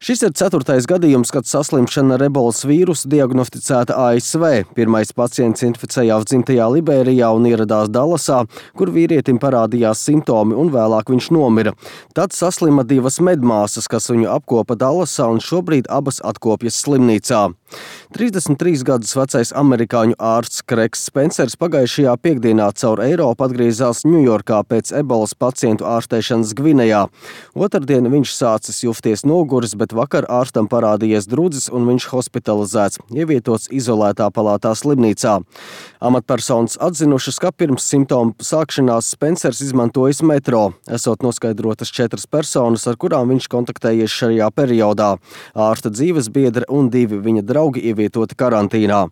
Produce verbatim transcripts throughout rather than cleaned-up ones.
Šis ir ceturtais gadījums, kad saslimšana ar ebolas vīrusu diagnosticēta A S V. Pirmais pacients inficējās dzimtajā Liberijā un ieradās Dallasā, kur vīrietim parādījās simptomi un vēlāk viņš nomira. Tad saslima divas medmāsas, kas viņu apkopa Dallasā un šobrīd abas atkopjas slimnīcā. trīsdesmit trīs gadus vecais amerikāņu ārsts Kreks Spencers pagājušajā piekdienā caur Eiropu atgriezās Ņujorkā pēc ebolas pacientu ārstēšanas Gvinejā. Otrdien viņš sācis justies noguris, bet vakar ārstam parādījies drudzis un viņš hospitalizēts, ievietots izolētā palātā slimnīcā. Amatpersonas atzinušas, ka pirms simptomu sākšanās Spencers izmantojis metro, esot noskaidrotas četras personas, ar kurām viņš kontaktējies šajā periodā. Ārsta dzīves biedre un divi viņa draugi ievietoti karantīnā.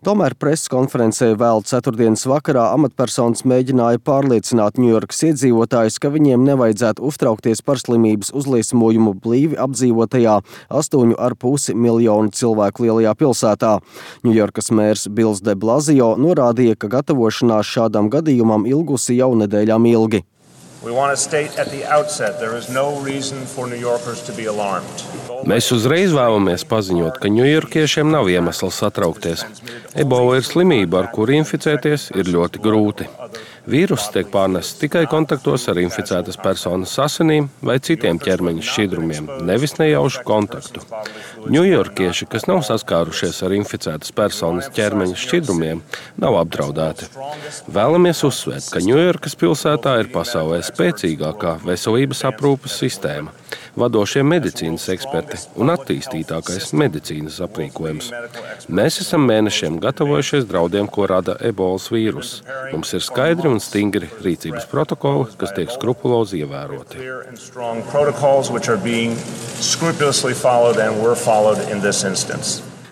Tomēr preses konferencē vēl ceturtdienas vakarā amatpersonas mēģināja pārliecināt Ņujorkas iedzīvotājus, ka viņiem nevajadzētu uztraukties par slimības uzliesmojumu blīvi apdzīvotajā astoņu ar pusi miljonu cilvēku lielajā pilsētā. Ņujorkas mērs Bills de Blasio norādīja, ka gatavošanās šādam gadījumam ilgusi jau nedēļām ilgi. Mēs uzreiz vēlamies paziņot, ka ņujorkiešiem nav iemesls satraukties. Ebola ir slimība, ar kuru inficēties ir ļoti grūti. Vīruss tiek pārnests tikai kontaktos ar inficētas personas asinīm vai citiem ķermeņa šķidrumiem, nevis nejaušu kontaktu. Ņujorkieši, kas nav saskārušies ar inficētas personas ķermeņa šķidrumiem, nav apdraudēti. Vēlamies uzsvērt, ka Ņujorkas pilsētā ir pasaulē spēcīgākā veselības aprūpes sistēma, vadošie medicīnas eksperti un attīstītākais medicīnas aprīkojums. Mēs esam mēnešiem gatavojušies draudiem, ko rada ebolas vīruss. Mums ir skaidri un stingri rīcības protokoli, kas tiek skrupulozi ievēroti.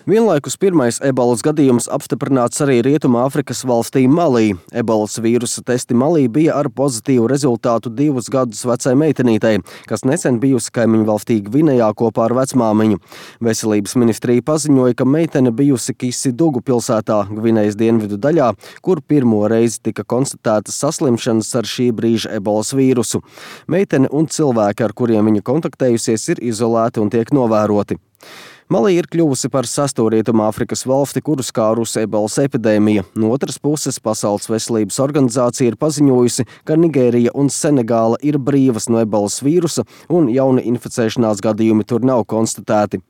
Vienlaikus pirmais ebolas gadījums apstiprināts arī Rietumāfrikas valstī Malī. Ebolas vīrusa testi Malī bija ar pozitīvu rezultātu divus gadus vecai meitenītei, kas nesen bijusi kaimiņu valstī Gvinejā kopā ar vecmāmiņu. Veselības ministrija paziņoja, ka meitene bijusi Kisidugu pilsētā, Gvinejas dienvidu daļā, kur pirmo reizi tika konstatētas saslimšanas ar šī brīža ebolas vīrusu. Meitene un cilvēki, ar kuriem viņa kontaktējusies, ir izolēti un tiek novēroti. Malī ir kļuvusi par sesto Rietumāfrikas valsti, kuru skārusi ebolas epidēmija. No otras puses, Pasaules veselības organizācija ir paziņojusi, ka Nigērija un Senegāla ir brīvas no ebolas vīrusa un jauni inficēšanās gadījumi tur nav konstatēti.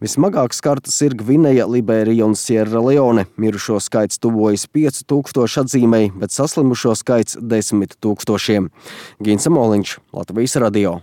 Vismagāk skartas ir Gvineja, Liberija un Sierra Leone. Mirušo skaits tuvojas piecu tūkstošu atzīmei, bet saslimušo skaits desmit tūkstošiem. Gins Amoliņš, Latvijas radio.